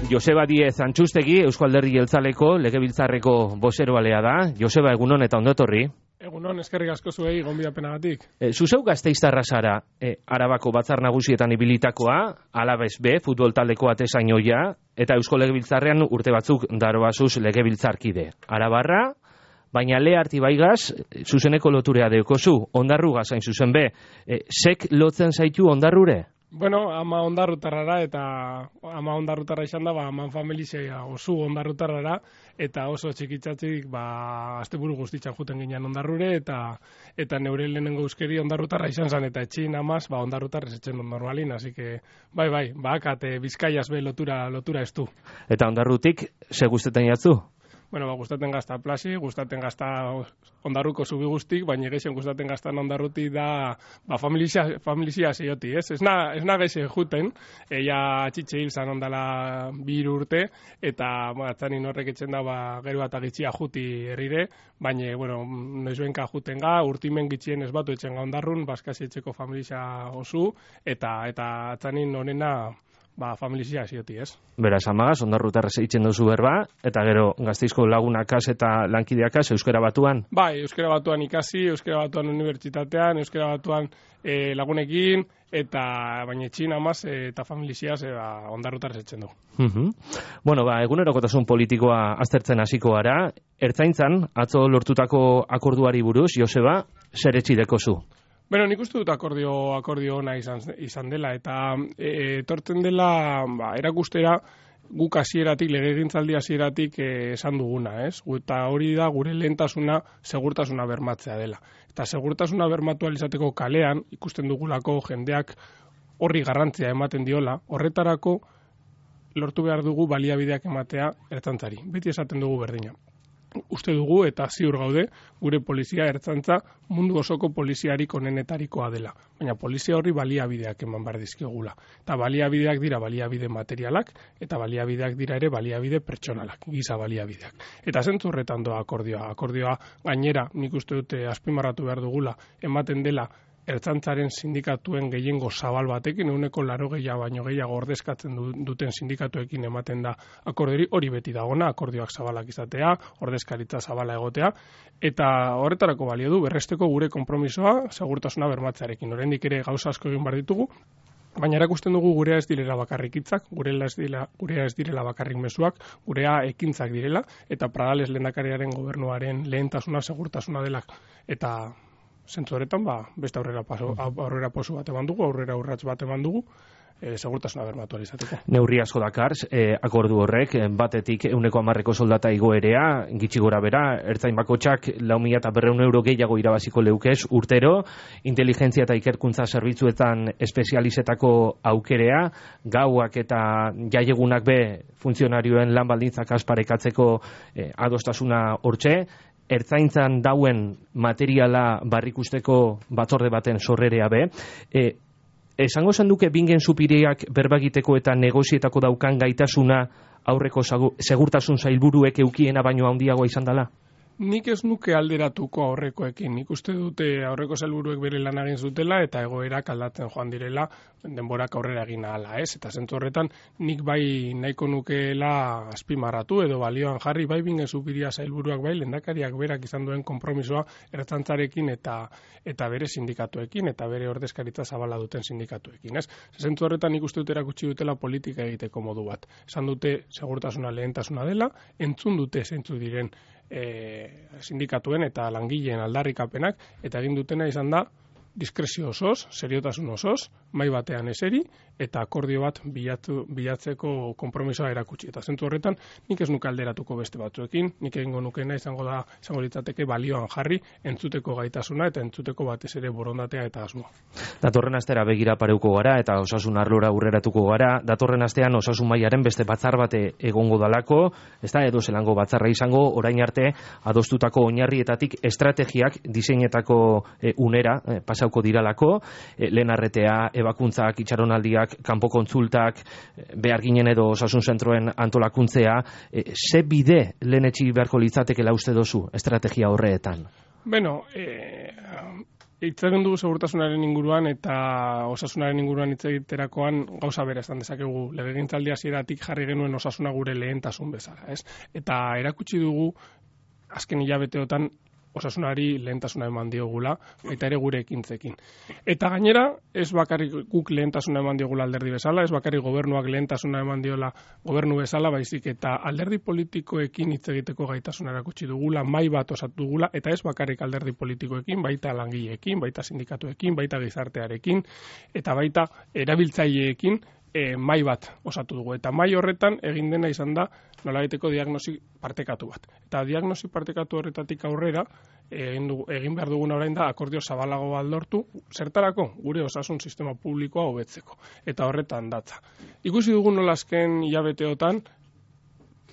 Joseba Diez Antxustegi, Eusko Alderdi Jeltzaleko legebiltzarreko bozeroalea da. Joseba, egunon eta ondo etorri. Egunon, eskerrik asko zuei gonbidapenagatik. Zuzeu Gasteiztarra zara, Arabako Batzar Nagusietan ibilitakoa, Alabez B, futbol taldeko atezainoia, eta Eusko Legebiltzarrean urte batzuk daroazuz legebiltzarkide. Arabarra, baina Leharti baigaz, zuzeneko loturea deokozu, ondarruga zain zuzen be. Sek lotzen zaitu ondarrure? Bueno, ama ondarrutarrara eta ama ondarrutarra izan da, aman familizia oso ondarrutarrara eta oso txikitzatik asteburu guztitzan juten ginean ondarrure eta neure lehenengo euskeri ondarrutarra izan zen eta etxin amaz ondarrutarrez etxen normalin, así que bai, akate Bizkaiaz be lotura estu. Eta ondarrutik, ze guztetan jatzu? Bueno, gustaten gazta plasi, gustaten gazta ondarruko zubi guztik, baina geixen gustaten gaztan ondarruti da familizia zeioti, ez? Ez na geixe juten, ea txitxe hil zan ondala 2 urte, eta atzanin horrek etxen da gero bat agitxia juti herrire, baina, bueno, noizuenka juten ga, urtimen gitxien ez batu etxen ga ondarrun, baskasi etxeko familizia osu, eta atzanin honena familizia zioti, ez? Beraz, amagaz, ondarrutarrez eitzen duzu berba, eta gero Gasteizko lagunakaz eta lankideakaz Euskara Batuan? Bai, Euskara Batuan ikasi, Euskara Batuan unibertsitatean, Euskara Batuan lagunekin, eta baina etxin amaz eta familiziaz ondarrutarrez eitzen du. Bueno, egunerokotasun politikoa aztertzen hasiko gara. Ertzaintzan, atzo lortutako akorduari buruz, Joseba, zer etxideko zu? Bueno, nik uste dut akordio ona izan dela, eta etortzen dela erakustera guk hasieratik, legegintzaldi hasieratik esan duguna, ez? Eta hori da gure lehentasuna segurtasuna bermatzea dela. Eta segurtasuna bermatu izateko kalean, ikusten dugulako jendeak horri garrantzia ematen diola, horretarako lortu behar dugu baliabideak ematea ertzaintzari. Beti esaten dugu berdina. Uste dugu eta ziur gaude gure polizia ertzantza mundu osoko poliziarik onenetarikoa dela. Baina polizia horri baliabideak eman behar dizkigula. Eta baliabideak dira baliabide materialak eta baliabideak dira ere baliabide pertsonalak, giza baliabideak. Eta zentzu horretan doa akordioa. Akordioa gainera nik uste dute azpimarratu behar dugula ematen dela ertzantzaren sindikatuen gehiengo zabal batekin, 80 baino gehiago ordezkatzen duten sindikatuekin ematen da akordiori, hori beti dagona, akordioak zabalak izatea, ordezkaritza zabala egotea, eta horretarako balio du berresteko gure konpromisoa segurtasuna bermatzearekin. Oraindik ere gauza asko egin behar ditugu, baina erakusten dugu gurea ez direla bakarrik hitzak, gurea ez direla bakarrik mezuak, gurea ekintzak direla, eta Pradales lehendakariaren gobernuaren lehentasuna segurtasuna dela, eta zentzu horretan, beste aurrera posu bat eman dugu, aurrera urrats bat eman dugu, segurtasuna bermatu izateko. Neurri asko dakar, akordu horrek, batetik 110 soldata igoerea, gitxi gora bera, ertzain bakotxak 4.200 euro gehiago irabaziko leukez urtero, inteligentzia eta ikerkuntza zerbitzuetan espezializetako aukerea, gauak eta jaiegunak be funtzionarioen lan baldintzak asparekatzeko adostasuna hortxe, ertzaintzan dauen materiala barrikusteko batzorde baten sorrerea be. Esango zen duke bingen supiriak berbagiteko eta negozietako daukan gaitasuna aurreko segurtasun sailburuek eukiena baino handiagoa izan dela? Nik ez nuke alderatuko aurrekoekin. Nik uste dute aurreko sailburuek bere lan egin zutela eta egoerak aldatzen joan direla denborak aurrera egin ahala, ez? Eta zentzu horretan nik bai nahiko nukeela azpimarratu edo balioan jarri bai bingen supiria sailburuak bai lehendakariak berak izan duen konpromisoa ertzantzarekin eta bere sindikatuekin eta bere ordezkaritza zabala duten sindikatuekin, ez? Zentzu horretan nik uste dut erakutsi dutela politika egiteko modu bat. Esan dute segurtasuna lehentasuna dela, entzun dute zeintzu diren sindikatuen eta langileen aldarrikapenak eta egin dutena izan da diskrezio osoz, seriotasun osoz, mai batean eseri eta akordio bat bilatzeko konpromisoa erakutsi. Eta zentzu horretan nik ez nuke alderatuko beste batzuekin, nik egingo nukena izango litzateke balioan jarri entzuteko gaitasuna eta entzuteko batez ere borondatea eta asmoa. Datorren astera begira pareuko gara eta osasun arlora aurreratuko gara. Datorren astean osasun mailaren beste batzar bate egongo dalako, ez da edo zelango batzarra izango, orain arte adostutako oinarrietatik estrategiak diseinetako unera pasauko diralako, lehen arretea, ebakuntzak, itxaronaldiak, kanpo kontsultak, behar ginen edo osasun zentroen antolakuntzea, ze bide lehen etxi beharko litzatekela uste dozu estrategia horreetan? Bueno, hitz egin dugu segurtasunaren inguruan eta osasunaren inguruan hitz egiterakoan gauza bera esan dezakegu. Legegintzaldi hasieratik jarri genuen osasuna gure lehentasun bezala, ez? Eta erakutsi dugu azken hilabeteotan osasunari lehentasuna eman diogula, baita ere gure ekintzekin. Eta gainera, ez bakarrik guk lehentasuna eman diogula alderdi bezala, ez bakarrik gobernuak lehentasuna eman diola gobernu bezala, baizik eta alderdi politikoekin hitz egiteko gaitasuna erakutsi dugula, mahai bat osatu dugula, eta ez bakarrik alderdi politikoekin, baita langileekin, baita sindikatuekin, baita gizartearekin, eta baita erabiltzaileekin, mahai bat osatu dugu. Eta mahai horretan egin dena izan da nolabaiteko diagnosi partekatu bat. Eta diagnosi partekatu horretatik aurrera egin behar duguna orain da akordio zabalago bat lortu, zertarako gure osasun sistema publikoa hobetzeko. Eta horretan datza. Ikusi dugu nola azken hilabeteotan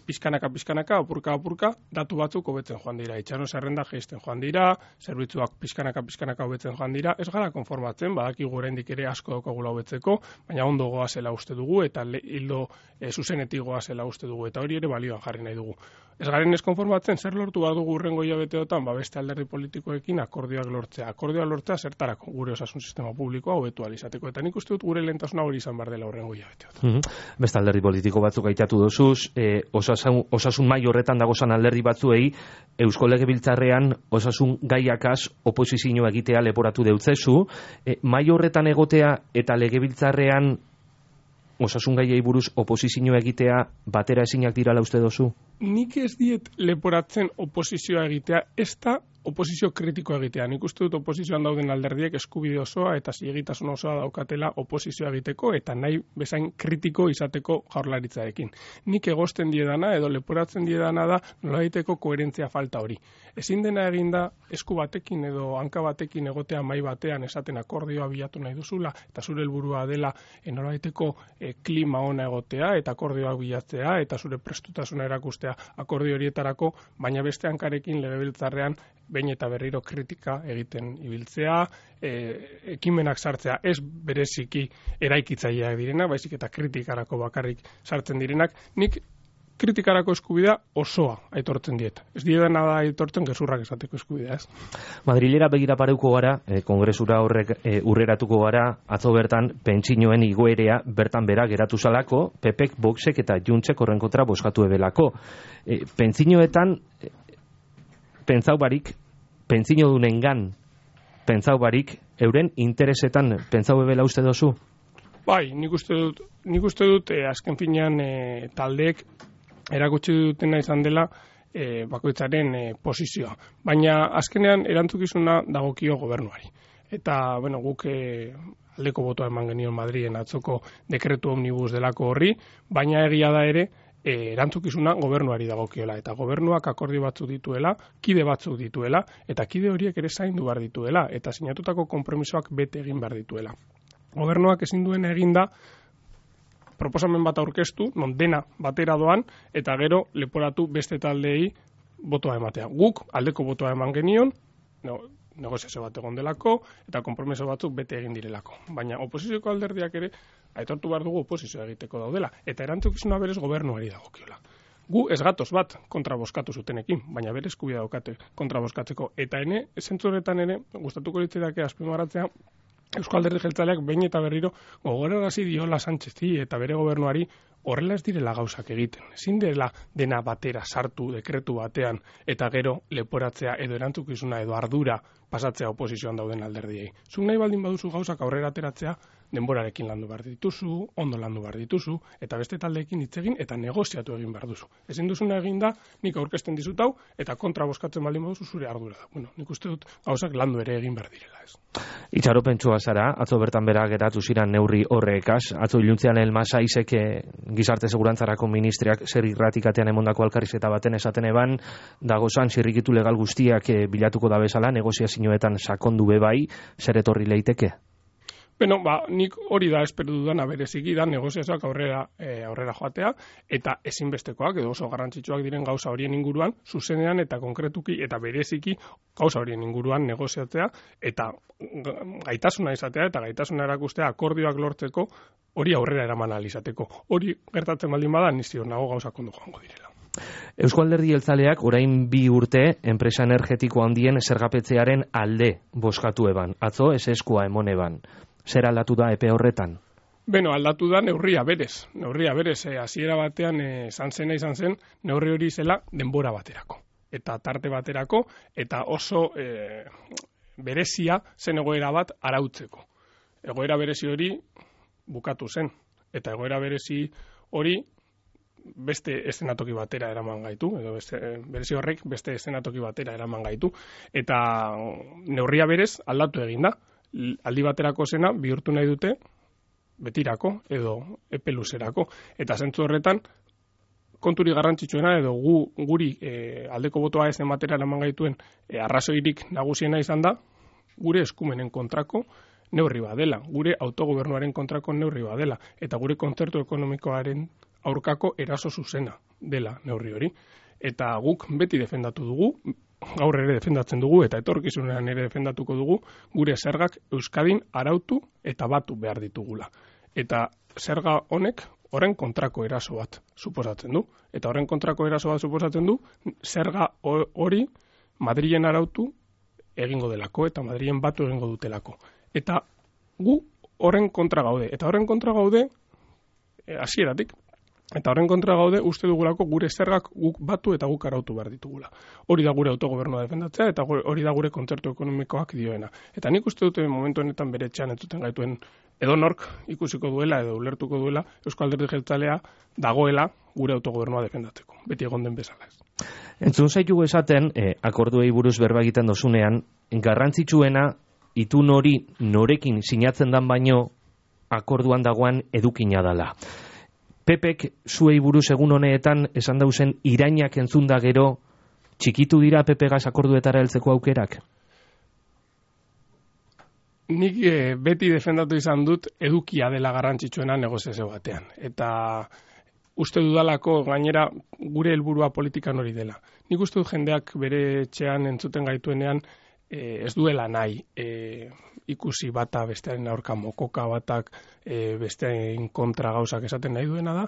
pizkanaka, apurka, datu batzuk hobetzen joan dira. Itxaron zerrenda jaisten joan dira, zerbitzuak pizkanaka hobetzen joan dira. Ez gara konformatzen, badakigu oraindik ere asko daukagula hobetzeko, baina ondo goazela uste dugu eta hildo zuzenetik goazela uste dugu eta hori ere balioan jarri nahi dugu. Ez garen ez konformatzen, zer lortu behar dugu urrengo hilabeteotan, beste alderdi politikoekin akordioak lortzea. Akordioak lortzea zertarako gure osasun sistema publikoa hobetu ahal izateko. Eta nik uste dut gure lehentasuna hori izan behar dela urrengo hilabeteotan. Beste alderdi politiko batzuk aitatu dozuz, osasun mai horretan dagozan alderdi batzuei, Eusko Legebiltzarrean osasun gaiakaz oposizio egitea leporatu deutzezu, mai horretan egotea eta Legebiltzarrean osasun gaiei buruz oposizio egitea batera ezinak dirala uste dozu? Nik ez diet leporatzen oposizioa egitea, ez da oposizio kritikoa egitea. Nik uste dut oposizioan dauden alderdiek eskubide osoa eta zilegitasun osoa daukatela oposizioa egiteko eta nahi bezain kritiko izateko jaurlaritzarekin. Nik egosten diedana edo leporatzen diedana da nolabaiteko koherentzia falta hori. Ezin dena eginda esku batekin edo hanka batekin egotea mahai batean esaten akordioa bilatu nahi duzula eta zure helburua dela nolabaiteko klima ona egotea eta akordioak bilatzea eta zure prestutasuna erakustea akordio horietarako, baina beste hankarekin Legebiltzarrean behin eta berriro kritika egiten ibiltzea, ekimenak sartzea ez bereziki eraikitzaileak direnak, baizik eta kritikarako bakarrik sartzen direnak, nik kritikarako eskubidea osoa aitortzen diet. Ez diedana da aitortzen gezurrak esateko eskubidea, ez? Madrilera begira pareuko gara, kongresura horrek urreratuko gara, atzo bertan pentsinoen igoerea bertan bera geratu zalako, PPek, Voxek eta Juntzek horren kontra bozkatu ebelako. Pentsinoetan pentsau barik, pentsino dunengan pentsau barik, euren interesetan pentsau ebela uste dozu? Bai, nik uste dut azken finean taldeek erakutsi dutena izan dela bakoitzaren posizioa. Baina azkenean erantzukizuna dagokio gobernuari. Eta, guk aldeko botoa eman genion Madrilen atzoko dekretu omnibus delako horri, baina egia da ere erantzukizuna gobernuari dagokiola. Eta gobernuak akordio batzuk dituela, kide batzuk dituela, eta kide horiek ere zaindu behar dituela, eta sinatutako konpromisoak bete egin behar dituela. Gobernuak ezin duen eginda proposamen bat aurkeztu, non dena batera doan, eta gero leporatu beste taldeei botoa ematea. Guk aldeko botoa eman genion, negoziazio bat egon delako, eta konpromiso batzuk bete egin direlako. Baina oposizioko alderdiak ere, aitortu behar dugu oposizioa egiteko daudela, eta erantzukizuna berez gobernuari dagokiola. Gu ez gatoz bat kontra bozkatu zutenekin, baina bere eskubidea daukate kontra bozkatzeko. Eta zentzu horretan ere, gustatuko litzaidake azpimarratzea, Eusko Alderdi Jeltzaleak behin eta berriro gogorarazi diola Sánchezi eta bere gobernuari horrela ez direla gauzak egiten. Ezin dela dena batera sartu dekretu batean eta gero leporatzea edo erantzukizuna edo ardura pasatzea oposizioan dauden alderdiei. Zuk nahi baldin baduzu gauzak aurrera ateratzea, denborarekin landu behar dituzu, ondo landu behar dituzu, eta beste taldeekin hitz egin eta negoziatu egin behar duzu. Ezin duzuna egin da, nik aurkezten dizut hau, eta kontra bozkatzen baldin baduzu zure ardura da. Nik uste dut gauzak landu ere egin behar direla, ez. Itxaropentsua zara, atzo bertan bera geratu ziren neurri horrekaz, atzo iluntzean Elmasaizek gizarte segurantzarako ministriak zer irratikatean emondako alkarrizketa baten esaten eban, dagozan zirrikitu legal guztiak bilatuko da bezala, negoziazioetan sakondu bebai, zer etorri leiteke? Nik hori da espero dudana bereziki da negoziazioak aurrera joatea eta ezinbestekoak edo oso garrantzitsuak diren gauza horien inguruan zuzenean eta konkretuki eta bereziki gauza horien inguruan negoziatzea eta gaitasuna izatea eta gaitasuna erakustea akordioak lortzeko hori aurrera eraman ahal izateko. Hori gertatzen baldin bada ni ziur nago gauzak ondo joango direla. Eusko Alderdi Jeltzaleak orain 2 urte enpresa energetiko handien zergapetzearen alde bozkatu eban. Atzo eseskoa emon eban. Zer aldatu da epe horretan? Beno, aldatu da neurria berez. Hasiera batean izan zen, neurri hori zela denbora baterako. Eta tarte baterako, eta oso berezia zen egoera bat arautzeko. Egoera berezi hori bukatu zen. Eta egoera berezi hori beste eszenatoki batera eraman gaitu, edo berezi horrek beste eszenatoki batera eraman gaitu. Eta neurria berez aldatu egin da. Aldi baterako zena bihurtu nahi dute betirako edo epe luzerako. Eta zentzu horretan, konturi garrantzitsuena edo guri aldeko botoa ez ematera eraman gaituen arrazoirik nagusiena izan da, gure eskumenen kontrako neurri badela, gure autogobernuaren kontrako neurri badela, eta gure kontzertu ekonomikoaren aurkako eraso zuzena dela neurri hori. Eta guk beti defendatu dugu, gaur ere defendatzen dugu, eta etorkizunean ere defendatuko dugu, gure zergak Euskadin arautu eta batu behar ditugula. Eta zerga honek horren kontrako eraso bat suposatzen du. Eta horren kontrako eraso bat suposatzen du, zerga hori Madrilen arautu egingo delako, eta Madrilen batu egingo dutelako. Eta gu horren kontra gaude. Eta horren kontra gaude hasieratik. Eta horren kontra gaude uste dugulako gure zergak guk batu eta guk arautu behar ditugula. Hori da gure autogobernua defendatzea eta hori da gure kontzertu ekonomikoak dioena. Eta nik uste dute momentu honetan bere etxean entzuten gaituen edonork ikusiko duela edo ulertuko duela Eusko Alderdi Jeltzalea dagoela gure autogobernua defendatzeko. Beti egon den bezala ez. Entzun zaitugu esaten, akorduei buruz berba egiten dozunean, garrantzitsuena itun hori norekin sinatzen dan baino akorduan dagoan edukina dala. Pepek zuei buruz egun honeetan esan dauzen irainak entzunda gero txikitu dira Pepegaz akorduetara heltzeko aukerak? Nik beti defendatu izan dut edukia dela garrantzitsuena negoziazio batean. Eta uste dudalako gainera gure helburua politikan hori dela. Nik uste dut jendeak bere etxean entzuten gaituenean ez duela nahi ikusi bata bestearen aurka mokoka batak bestearen kontra gauzak esaten nahi duena da,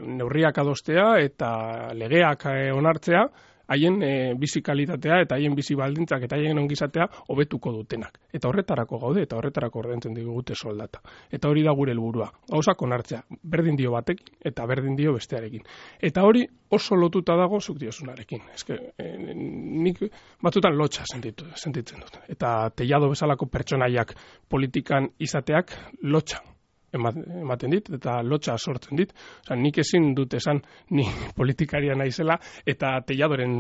neurriak adostea eta legeak onartzea, haien bizi kalitatea eta haien bizi baldintzak eta haien ongizatea hobetuko dutenak. Eta horretarako gaude eta horretarako ordaintzen digute soldata. Eta hori da gure helburua. Gauzak onartzea, berdin dio batekin eta berdin dio bestearekin. Eta hori oso lotuta dago zuk diozunarekin. Nik batzutan lotxa sentitzen dut. Eta teiado bezalako pertsonaiak politikan izateak lotxa ematen dit, eta lotxa sortzen dit. Nik ezin dut esan ni politikaria naizela eta teiadoren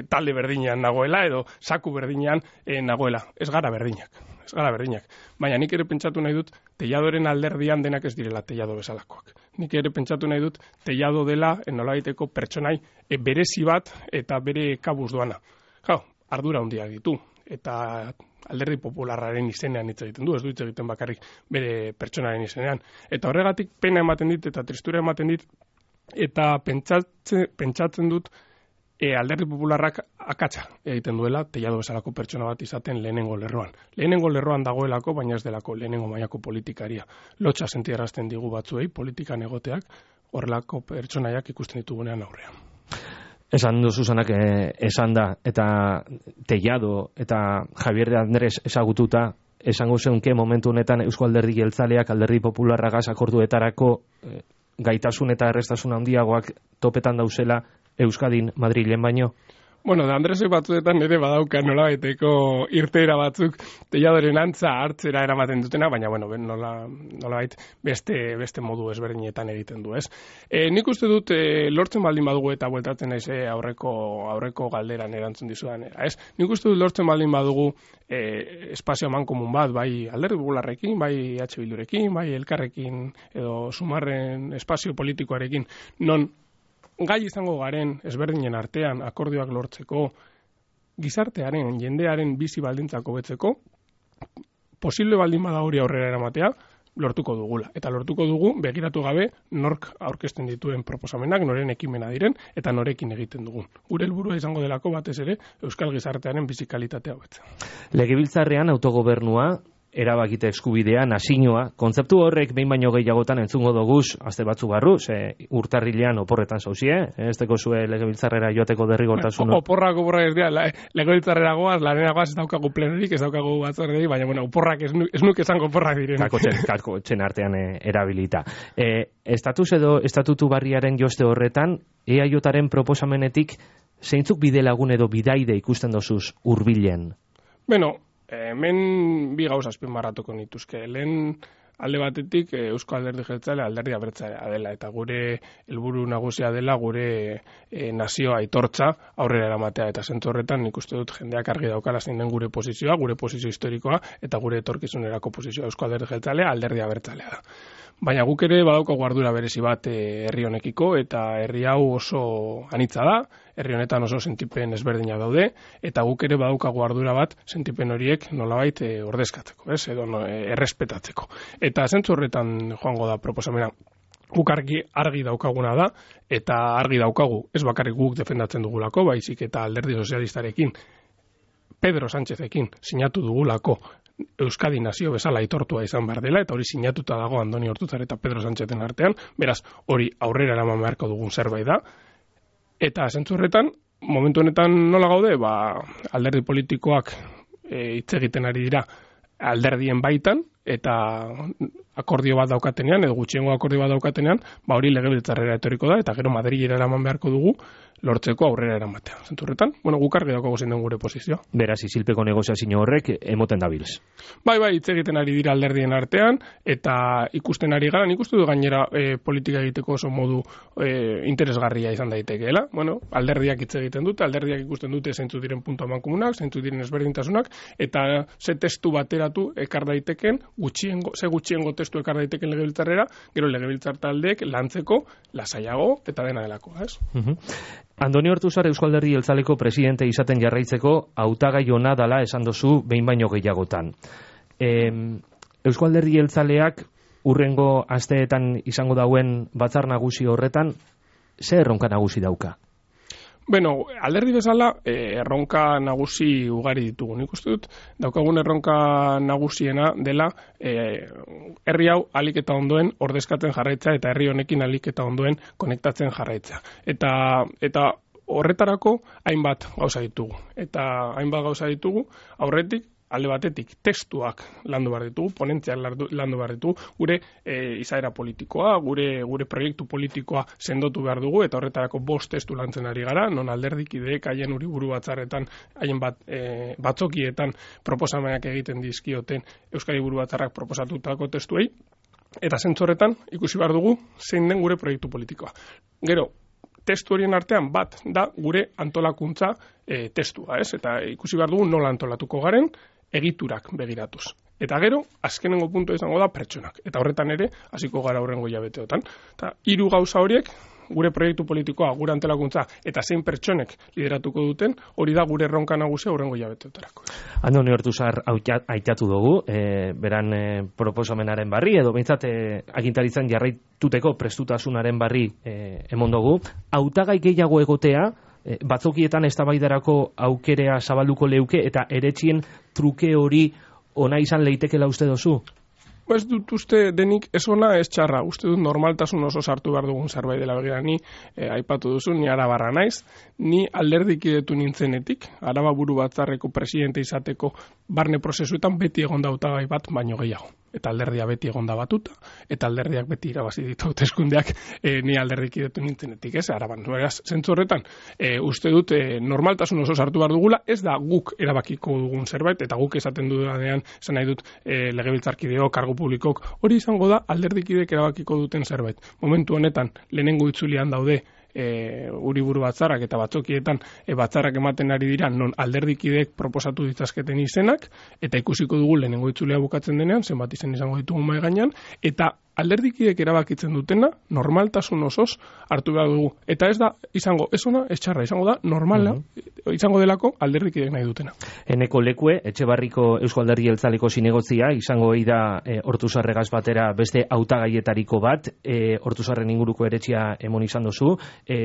talde berdinean nagoela edo saku berdinean nagoela. Ez gara berdinak. Baina nik ere pentsatu nahi dut teiadoren alderdian denak ez direla teiado bezalakoak. Nik ere pentsatu nahi dut teiado dela nolabaiteko pertsonai berezi bat eta bere kabuz doana. Ardura handiak ditu. Eta Alderdi Popularraren izenean hitz egiten du, ez du hitz egiten bakarrik bere pertsonaren izenean. Eta horregatik pena ematen dit eta tristura ematen dit eta pentsatzen dut Alderdi Popularrak akatsa egiten duela teiado bezalako pertsona bat izaten lehenengo lerroan. Lehenengo lerroan dagoelako, baina ez delako lehenengo mailako politikaria. Lotsa sentiarazten digu batzuei politikan egoteak horrelako pertsonaiak ikusten ditugunean aurrean. Esan du Susanak esan da, eta Tellado eta Javier de Andrés ezagututa, esango zeunke momentu honetan Eusko Alderdi Jeltzaleak Alderdi Popularragaz akorduetarako gaitasun eta errestasun handiagoak topetan dauzela Euskadin Madrilen baino? Bueno, de Andresek batzuetan ere badauka nolabaiteko irteera batzuk Telladoren antza hartzera eramaten dutena, baina bueno, nolabait beste modu ezberdinetan egiten du, ez? Nik uste dut lortzen baldin badugu eta bueltatzen naiz aurreko galderan erantzun dizudan, ez? Nik uste dut lortzen baldin badugu espazio amankomun bat, bai Alderdi Popularrekin, bai EH Bildurekin, bai Elkarrekin edo Sumarren espazio politikoarekin, non gai izango garen ezberdinen artean akordioak lortzeko, gizartearen, jendearen bizi baldintzak hobetzeko, posible baldin bada hori aurrera eramatea, lortuko dugula. Eta lortuko dugu begiratu gabe nork aurkezten dituen proposamenak, noren ekimena diren, eta norekin egiten dugun. Gure helburua izango delako batez ere Euskal gizartearen bizi kalitatea hobetzea. Legebiltzarrean autogobernua erabakite eskubidea, nazioa, kontzeptu horrek behin baino gehiagotan entzungo doguz, aste batzu barru, urtarrilean oporretan zauzie, ez teko zue legebiltzarrera joateko derrigortasun. Oporrak ez dira, legebiltzarrera goaz, lanera goaz, ez daukagu plenorik, ez daukagu batzordei, baina, bueno, oporrak ez nuk esango oporrak diren. Kako txen artean erabilita. Estatutu barriaren joste horretan, EAJaren proposamenetik, zeintzuk bide lagun edo bidaide ikusten dozuz hurbilen? Bueno, hemen bi gauza azpimarratuko nituzke. Lehen alde batetik Eusko Alderdi Jeltzalea alderdi abertzalea dela eta gure helburu nagusia dela gure nazioa aitortza aurrera eramatea eta zentzu horretan nik uste dut jendeak argi daukala zein den gure posizioa, gure posizio historikoa eta gure etorkizunerako posizioa. Eusko Alderdi Jeltzalea alderdi abertzalea da. Baina guk ere badaukagu ardura berezi bat herri honekiko eta herri hau oso anitza da, herri honetan oso sentipen ezberdina daude eta guk ere badaukagu ardura bat sentipen horiek nolabait ordezkatzeko, edo errespetatzeko. Eta zentzu horretan joango da proposamena. Guk argi daukaguna da eta argi daukagu ez bakarrik guk defendatzen dugulako, baizik eta Alderdi Sozialistarekin Pedro Sánchezekin sinatu dugulako Euskadi nazio bezala aitortua izan behar dela, eta hori sinatuta dago Andoni Ortuzar eta Pedro Sánchezen artean, beraz, hori aurrera eraman beharko dugun zerbait da. Eta zentzu horretan, momentu honetan nola gaude, alderdi politikoak hitz egiten ari dira alderdien baitan, eta akordio bat daukatenean, edo gutxiengo akordio bat daukatenean, hori legebiltzarrera etorriko da, eta gero Madrilera eraman beharko dugu, lortzeko aurrera eramatea. Zenturretan, guk argi daukago zein den gure posizioa. Beraz, isilpeko negoziazio horrek emoten dabilz. Bai, hitz egiten ari dira alderdien artean, eta ikusten ari gara, nik uste du gainera politika egiteko oso modu interesgarria izan daitekeela. Alderdiak hitz egiten dute, alderdiak ikusten dute zeintzu diren puntu amankomunak, zeintzu diren ezberdintasunak, eta ze testu bateratu ekar daiteken, gutxiengo testu ekar daiteken legebiltzarrera, gero legebiltzar taldeek lantzeko lasaiago eta dena delako, ez? Andoni Ortuzar Eusko Alderdi Jeltzaleko presidente izaten jarraitzeko hautagai ona dala esan dozu behin baino gehiagotan. Eusko Alderdi Jeltzaleak urrengo asteetan izango dauen batzar nagusi horretan, ze erronka nagusi dauka? Alderdi bezala erronka nagusi ugari ditugu. Nik uste dut, daukagun erronka nagusiena dela herri hau ahalik eta ondoen ordezkatzen jarraitza eta herri honekin ahalik eta ondoen konektatzen jarraitza. Eta horretarako hainbat gauza ditugu. Eta hainbat gauza ditugu aurretik, alde batetik testuak landu behar ditugu, ponentziak landu behar ditugu, gure izaera politikoa, gure proiektu politikoa sendotu behar dugu, eta horretarako 5 testu lantzen ari gara, non alderdikideek haien uriburu batzarretan, haien batzokietan proposamenak egiten dizkioten Euskadi Buru Batzarrak proposatutako testuei, eta zentzu horretan ikusi behar dugu zein den gure proiektu politikoa. Gero, testu horien artean bat da gure antolakuntza testua, ez? Eta ikusi behar dugu nola antolatuko garen, egiturak begiratuz. Eta gero, azkenengo puntua izango da pertsonak. Eta horretan ere, hasiko gara hurrengo hilabeteotan. Eta 3 gauza horiek, gure proiektu politikoa, gure antolakuntza, eta zein pertsonek lideratuko duten, hori da gure erronka nagusia hurrengo hilabeteotarako. Andoni Ortuzar aitatu dugu, beran proposamenaren barri, edo behintzat agintaritzan jarraituteko prestutasunaren barri emon dugu. Hautagai gehiago egotea, batzokietan eztabaidarako aukerea zabalduko leuke eta eretzien truke hori ona izan leitekela uste dozu? Ez dut uste denik ez ona ez txarra, uste dut normaltasun oso sartu behar dugun zerbait dela. Begira, ni aipatu duzu, ni Arabarra naiz, ni alderdikidetu nintzenetik, Araba Buru Batzarreko presidente izateko barne prozesuetan beti egon da hautagai bat baino gehiago. Eta alderdia beti egon da batuta, eta alderdiak beti irabazi ditu hauteskundeak ni alderdikidetu nintzenetik, ez? Araban, zentzu horretan, uste dut normaltasun oso sartu behar dugula, ez da guk erabakiko dugun zerbait, eta guk esaten dudanean, esan nahi dut legebiltzarkideo, kargu publikok, hori izango da alderdikideek erabakiko duten zerbait. Momentu honetan, lehenengo itzulian daude Uriburu Batzarrak eta batzokietan batzarrak ematen ari dira non alderdikideek proposatu ditzazketen izenak, eta ikusiko dugu lehenengo itzulea bukatzen denean, zenbat izen izango ditugu mahai gainean, eta alderdikidek erabakitzen dutena, normaltasun osoz hartu behar dugu. Eta ez da izango, ez ona, ez txarra, izango da normala, izango delako alderdikidek nahi dutena. Eneko lekue, Etxebarriko Eusko Alderdi Jeltzaleko zinegotzia, izango da Ortuzarregaz batera beste hautagaietariko bat, Ortuzarren inguruko eretxia emon izan dozu,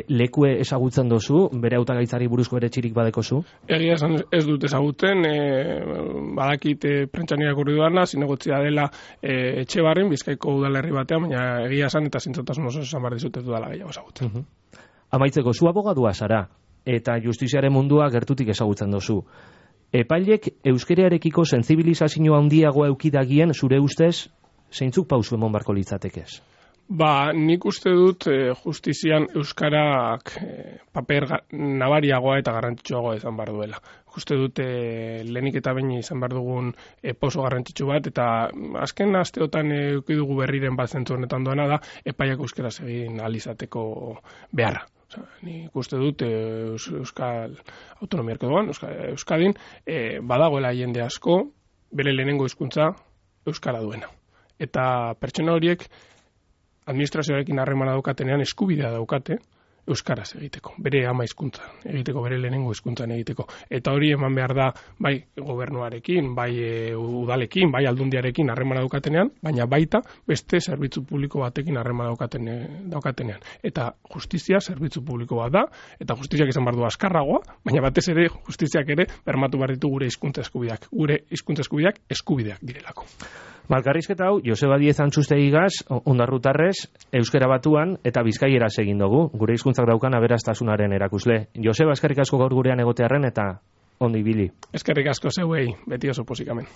lekue ezagutzen dozu, bere hautagaitzari buruzko eretxirik badekozu? Egia esan ez dut ezaguten, badakit prentsan irakurri dudana, zinegotzia dela Etxebarren, Bizkaiko udalerri batean, baina egia esan eta zintzotasun oso esan behar dizut ez dudala gehiago ezagutzen. Amaitzeko, zu abogadua zara, eta justiziaren mundua gertutik ezagutzen dozu. Epailek euskerearekiko sentsibilizazio handiagoa eukidagien zure ustez, zeintzuk pausu emon barko litzatekez? Nik uste dut justizian euskarak paper nabariagoa eta garrantzitsuagoa izan behar duela. Uste dut lehenik eta behin izan behar dugun poso garrantzitsu bat, eta azken asteotan dugu berriren bat zentzu honetan doana da, epaiak euskaraz egin alizateko beharra. Nik uste dut Euskal Autonomia Erkidegoan, Euskadin, badagoela jende asko, bere lehenengo hizkuntza euskara duena. Eta pertsona horiek administrazioarekin harremana daukatenean eskubidea daukate euskaraz egiteko, bere ama hizkuntzan egiteko, bere lehenengo hizkuntzan egiteko. Eta hori eman behar da bai gobernuarekin, bai udalekin, bai aldundiarekin harremana daukatenean, baina baita beste zerbitzu publiko batekin harremana daukatenean. Eta justizia zerbitzu publiko bat da, eta justiziak izan behar du azkarragoa, baina batez ere justiziak ere bermatu behar ditu gure hizkuntza eskubideak. Gure hizkuntza eskubideak direlako. Malkarrizketa hau, Joseba Diez Antxustegigaz, Ondarrutarrez, Euskara Batuan eta Bizkaieraz egin dugu, gure hizkuntzak daukan aberastasunaren erakusle. Joseba, eskerrik asko gaur gurean egotearren eta ondo ibili. Eskerrik asko zeuei, beti oso posikamen.